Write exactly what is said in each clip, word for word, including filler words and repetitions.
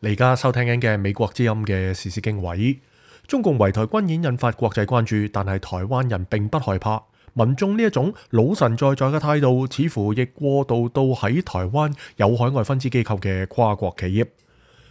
你而家收聽緊嘅美國之音嘅時事經緯，中共圍台軍演引發國際關注，但係台灣人並不害怕。民眾呢一種老神在在嘅態度，似乎亦過渡到喺台灣有海外分支機構嘅跨國企業。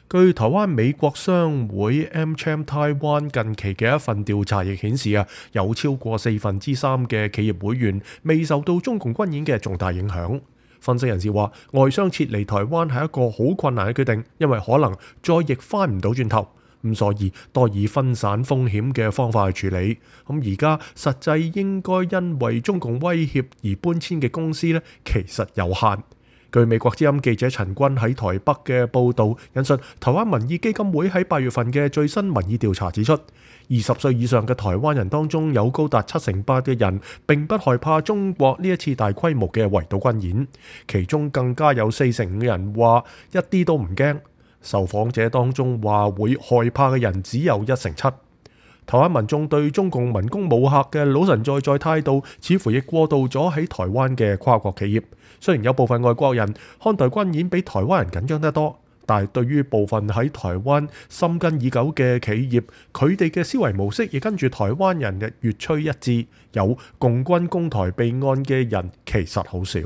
據台灣美國商會 AmCham Taiwan 近期嘅一份調查亦顯示啊，有超過四分之三嘅企業會員未受到中共軍演嘅重大影響。分析人士話，外商撤離台灣係一個好困難嘅決定，因為可能再亦翻唔到轉頭，咁所以多以分散風險嘅方法去處理。咁而家實際應該因為中共威脅而搬遷嘅公司呢，其實有限。據美國之音記者陳君喺台北嘅報導，引述台灣民意基金會喺八月份嘅最新民意調查指出，二十歲以上嘅台灣人當中有高達七成八嘅人並不害怕中國呢一次大規模嘅圍島軍演，其中更加有四成五人話一啲都唔驚。受訪者當中話會害怕嘅人只有一成七。台灣民眾對中共文攻武嚇嘅老神在在態度，似乎亦過渡咗喺台灣嘅跨國企業。雖然有部分外國人看待軍演比台灣人緊張得多，但係對於部分喺台灣深耕已久嘅企業，佢哋嘅思維模式亦跟住台灣人嘅越趨一致。有共軍攻台備案嘅人其實好少。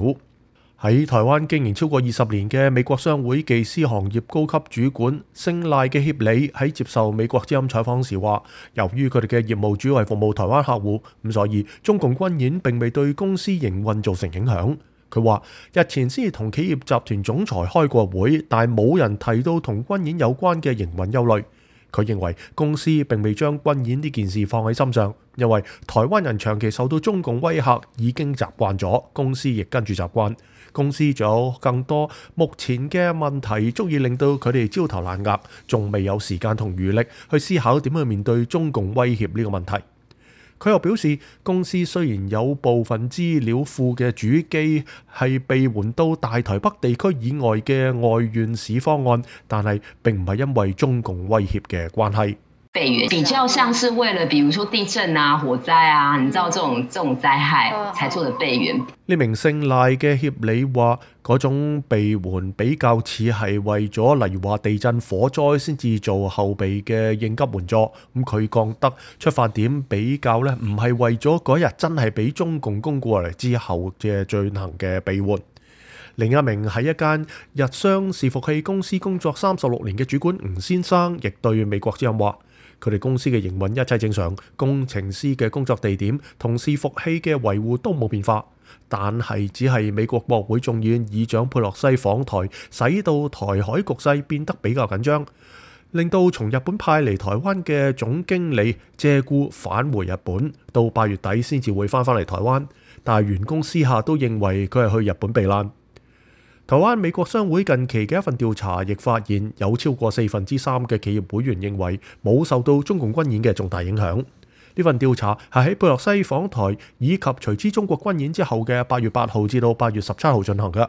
喺台灣經營超過二十年嘅美國商會技師行業高級主管姓賴嘅協理喺接受美國之音採訪時話，由於佢哋嘅業務主要係服務台灣客戶，咁所以中共軍演並未對公司營運造成影響。佢話日前先至同企業集團總裁開過會，但冇人提到同軍演有關嘅營運憂慮。佢認為公司並未將軍演呢件事放喺心上，因為台灣人長期受到中共威嚇已經習慣咗，公司亦跟住習慣。公司仲有更多目前嘅問題足以令到佢哋焦頭爛額，仲未有時間同餘力去思考點去面對中共威脅呢個問題。佢又表示，公司雖然有部分資料庫嘅主機係被換到大台北地區以外嘅外縣市方案，但係並唔係因為中共威脅嘅關係。備援比較像是為了，比如說地震啊、火災啊，你知道這種這種災害才做的備援。呢名姓賴嘅協理話，嗰種備援比較似係為咗，例如話地震、火災先至做後備嘅應急援助。咁佢覺得出發點比較呢，唔係為咗嗰日真係俾中共攻過嚟之後嘅進行嘅備援。另一名喺一間日商伺服器公司工作三十六年嘅主管吳先生，亦對美國之音話，佢哋公司嘅營運一切正常，工程師嘅工作地點同伺服器嘅維護都冇變化，但係只係美國國會眾議院議長佩洛西訪台，使到台海局勢變得比較緊張，令到從日本派嚟台灣嘅總經理借故返回日本，到八月底先至會翻返嚟台灣，但係員工私下都認為佢係去日本避難。台灣美國商會近期嘅一份調查亦發現，有超過四分之三嘅企業會員認為冇受到中共軍演嘅重大影響。呢份調查係喺佩洛西訪台以及隨之中國軍演之後嘅八月八號至到八月十七號進行嘅。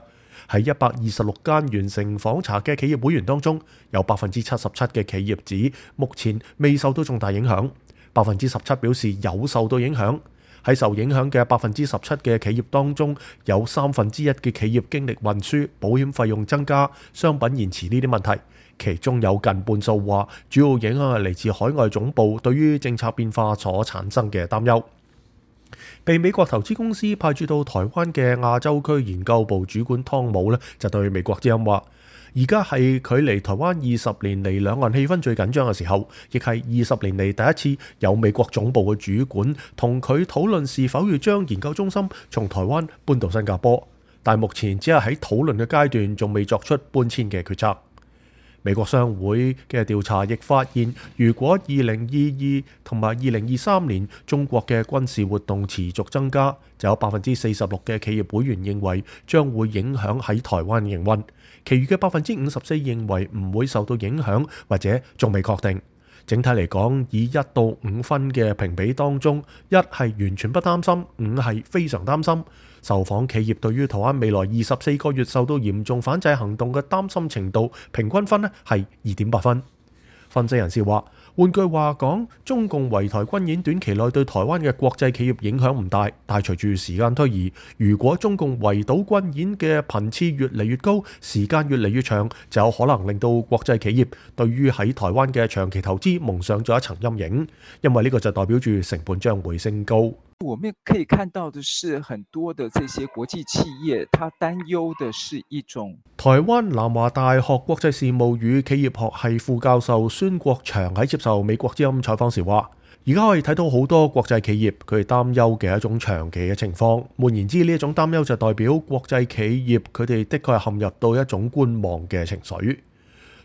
喺一百二十六間完成訪查嘅企業會員當中，有百分之七十七嘅企業指目前未受到重大影響，百分之十七表示有受到影響。喺受影響嘅百分之十七嘅企業當中，有三分之一嘅企業經歷運輸、保險費用增加、商品延遲呢啲問題，其中有近半數話主要影響係嚟自海外總部對於政策變化所產生嘅擔憂。被美國投資公司派駐到台灣嘅亞洲區研究部主管湯姆呢，就對美國之音話，而家係距離台灣二十年嚟兩岸氣氛最緊張嘅時候，亦係二十年嚟第一次有美國總部嘅主管同佢討論是否要將研究中心從台灣搬到新加坡，但目前只係喺討論嘅階段，仲未作出搬遷嘅決策。美國商會嘅調查亦發現，如果二零二二同埋二零二三年中國嘅軍事活動持續增加，就有百分之四十六嘅企業會員認為將會影響喺台灣營運，其餘嘅百分之五十四認為唔會受到影響或者仲未確定。整體嚟講，以一到五分嘅評比當中，一係完全不擔心，五係非常擔心。受訪企業對於台灣未來二十四個月受到嚴重反制行動嘅擔心程度，平均分咧係二點八分。分析人士話，換句話講，中共圍台軍演短期內對台灣嘅國際企業影響唔大，但係隨住時間推移，如果中共圍島軍演嘅頻次越嚟越高，時間越嚟越長，就有可能令到國際企業對於喺台灣嘅長期投資蒙上咗一層陰影，因為呢個就代表住成本將會升高。我們可以看到的是，很多的這些國際企業，他擔憂的是一種。台灣南華大學國際事務與企業學系副教授孫國祥喺接受美國之音採訪時話，而家可以睇到好多國際企業佢哋擔憂嘅一種長期嘅情況。換言之，呢一種擔憂就代表國際企業佢哋的確係陷入到一種觀望嘅情緒。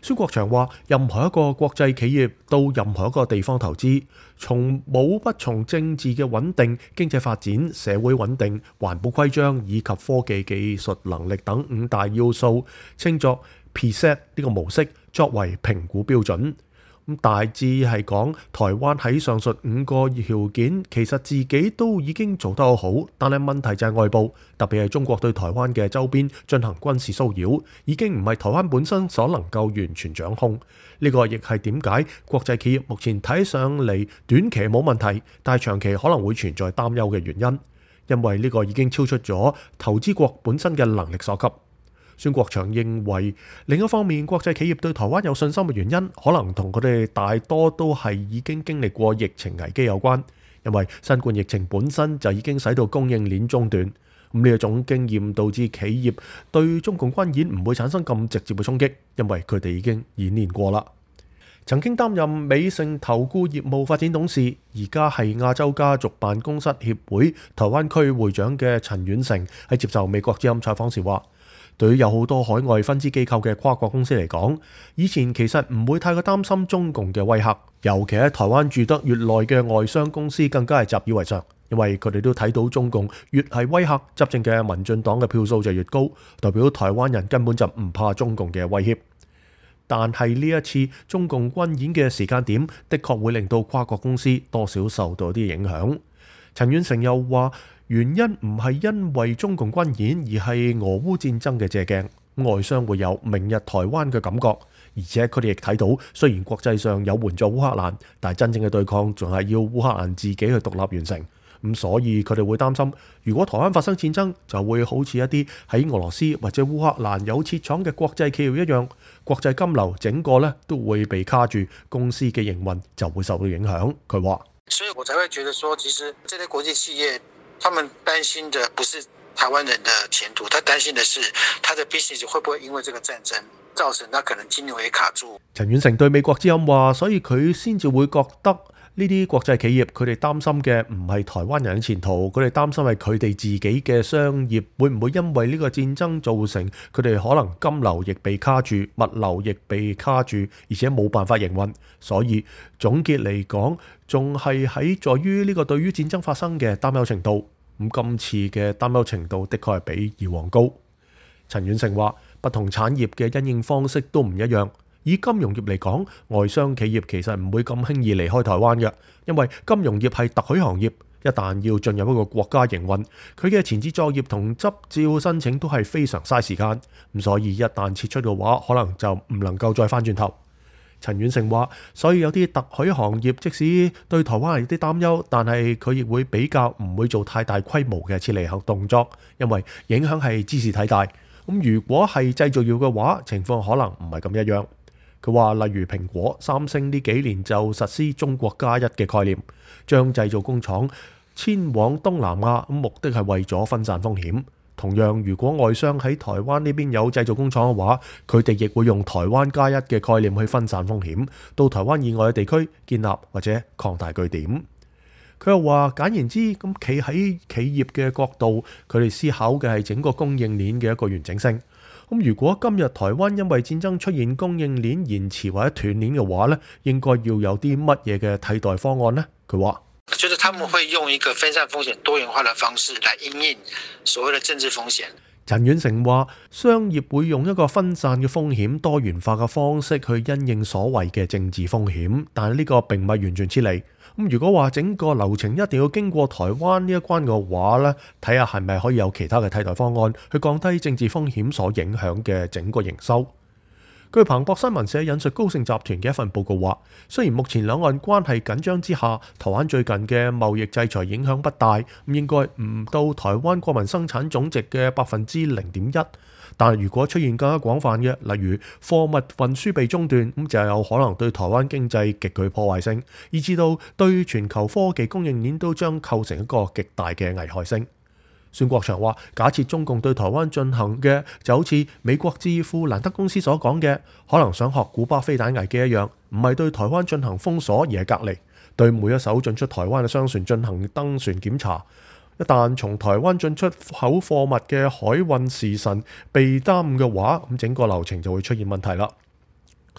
孫國祥話：任何一個國際企業到任何一個地方投資，從冇不從政治嘅穩定、經濟發展、社會穩定、環保規章以及科技技術能力等五大要素，稱作 P S E T 呢個模式作為評估標準。咁大致係講，台灣喺上述五個條件，其實自己都已經做得好，但係問題就係外部，特別係中國對台灣嘅周邊進行軍事騷擾，已經唔係台灣本身所能夠完全掌控。呢個亦係點解國際企業目前睇上嚟短期冇問題，但係長期可能會存在擔憂嘅原因，因為呢個已經超出咗投資國本身嘅能力所及。孫國祥認為，另一方面，國際企業對台灣有信心嘅原因，可能同佢哋大多都係已經經歷過疫情危機有關。因為新冠疫情本身就已經使到供應鏈中斷，咁呢一種經驗導致企業對中共軍演唔會產生咁直接嘅衝擊，因為佢哋已經演練過啦。曾經擔任美盛投顧業務發展董事，而家係亞洲家族辦公室協會台灣區會長嘅陳遠成喺接受美國之音採訪時話，對於有好多海外分支機構嘅跨國公司嚟講，以前其實唔會太過擔心中共嘅威嚇，尤其喺台灣住得越耐嘅外商公司更加係習以為常，因為佢哋都睇到中共越係威嚇，執政嘅民進黨嘅票數就越高，代表台灣人根本就唔怕中共嘅威脅。但係呢一次中共軍演嘅時間點，的確會令到跨國公司多少受到啲影響。陳遠成又話，原因唔係因為中共軍演，而係俄烏戰爭嘅借鏡。外商會有明日台灣嘅感覺，而且佢哋亦睇到，雖然國際上有援助烏克蘭，但係真正嘅對抗仲係要烏克蘭自己去獨立完成。咁所以佢哋會擔心，如果台灣發生戰爭，就會好似一啲喺俄羅斯或者烏克蘭有設廠嘅國際企業一樣，國際金流整個咧都會被卡住，公司嘅營運就會受到影響。佢話，所以我才會覺得說，其實這些國際企業，他們擔心的不是台灣人的前途，他擔心的是他的 business 會不會因為這個戰爭造成他可能金流也卡住。陳遠成對美國之音話，所以佢先至會覺得呢啲國際企業佢哋擔心嘅唔係台灣人嘅前途，佢哋擔心係佢哋自己嘅商業會唔會因為呢個戰爭造成佢哋可能金流亦被卡住，物流亦被卡住，而且冇辦法營運。所以總結嚟講，仲係喺在於呢個對於戰爭發生嘅擔憂程度。咁今次嘅擔憂程度的確係比以往高。陳遠成話，不同產業嘅因應方式都唔一樣。以金融業嚟講，外商企業其實唔會咁輕易離開台灣嘅，因為金融業係特許行業，一旦要進入一個國家營運，佢嘅前置作業同執照申請都係非常嘥時間，咁所以一旦撤出嘅話，可能就唔能夠再翻轉頭。陳遠成話，所以有啲特許行業即使對台灣有啲擔憂，但係佢亦會比較唔會做太大規模嘅撤離行動作，因為影響係茲事體大。咁如果係製造業嘅話，情況可能唔係咁一樣。佢話，例如蘋果、三星呢幾年就實施中國加一嘅概念，將製造工廠遷往東南亞，目的係為咗分散風險。同樣，如果外商喺台灣呢邊有製造工廠嘅話，佢哋亦會用台灣加一嘅概念去分散風險，到台灣以外嘅地區建立或者擴大據點。佢又話，簡言之，咁企喺企業嘅角度，佢哋思考嘅係整個供應鏈嘅一個完整性。咁如果今日台灣因為戰爭出現供應鏈延遲或者斷鏈嘅話呢，應該要有啲乜嘢嘅替代方案呢？佢話，就是他們會用一個分散風險多元化的方式來因應所謂的政治風險。陳遠成話，商業會用一個分散嘅風險多元化嘅方式去因應所謂嘅政治風險，但係呢個並唔係完全撤離。咁如果話整個流程一定要經過台灣呢一關嘅話呢，睇下係咪可以有其他嘅替代方案去降低政治風險所影響嘅整個營收。據彭博新聞社引述高盛集團嘅一份報告話，雖然目前兩岸關係緊張之下，台灣最近嘅貿易制裁影響不大，咁應該唔到台灣國民生產總值嘅百分之零點一。但係如果出現更加廣泛嘅，例如貨物運輸被中斷，咁就有可能對台灣經濟極具破壞性，以至到對全球科技供應鏈都將構成一個極大嘅危害性。孫國祥話：假設中共對台灣進行嘅就好似美國智庫蘭德公司所講嘅，可能想學古巴飛彈危機一樣，唔係對台灣進行封鎖而係隔離，對每一艘進出台灣嘅商船進行登船檢查。一旦從台灣進出口貨物嘅海運時辰被耽誤嘅話，咁整個流程就會出現問題啦。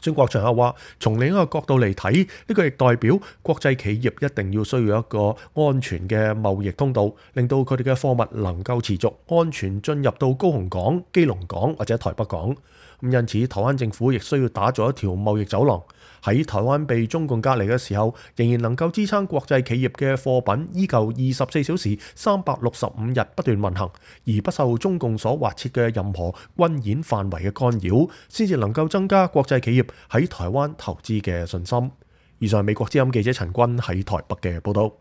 孫國祥又話：從另一個角度嚟睇，呢個亦代表國際企業一定要需要一個安全嘅貿易通道，令到佢哋嘅貨物能夠持續安全進入到高雄港、基隆港或者台北港。咁因此，台灣政府亦需要打造一條貿易走廊，喺台灣被中共隔離嘅時候，仍然能夠支撐國際企業嘅貨品依舊二十四小時、三百六十五日不斷運行，而不受中共所劃設嘅任何軍演範圍嘅干擾，先至能夠增加國際企業喺台灣投資嘅信心。以上係美國之音記者陳君喺台北嘅報道。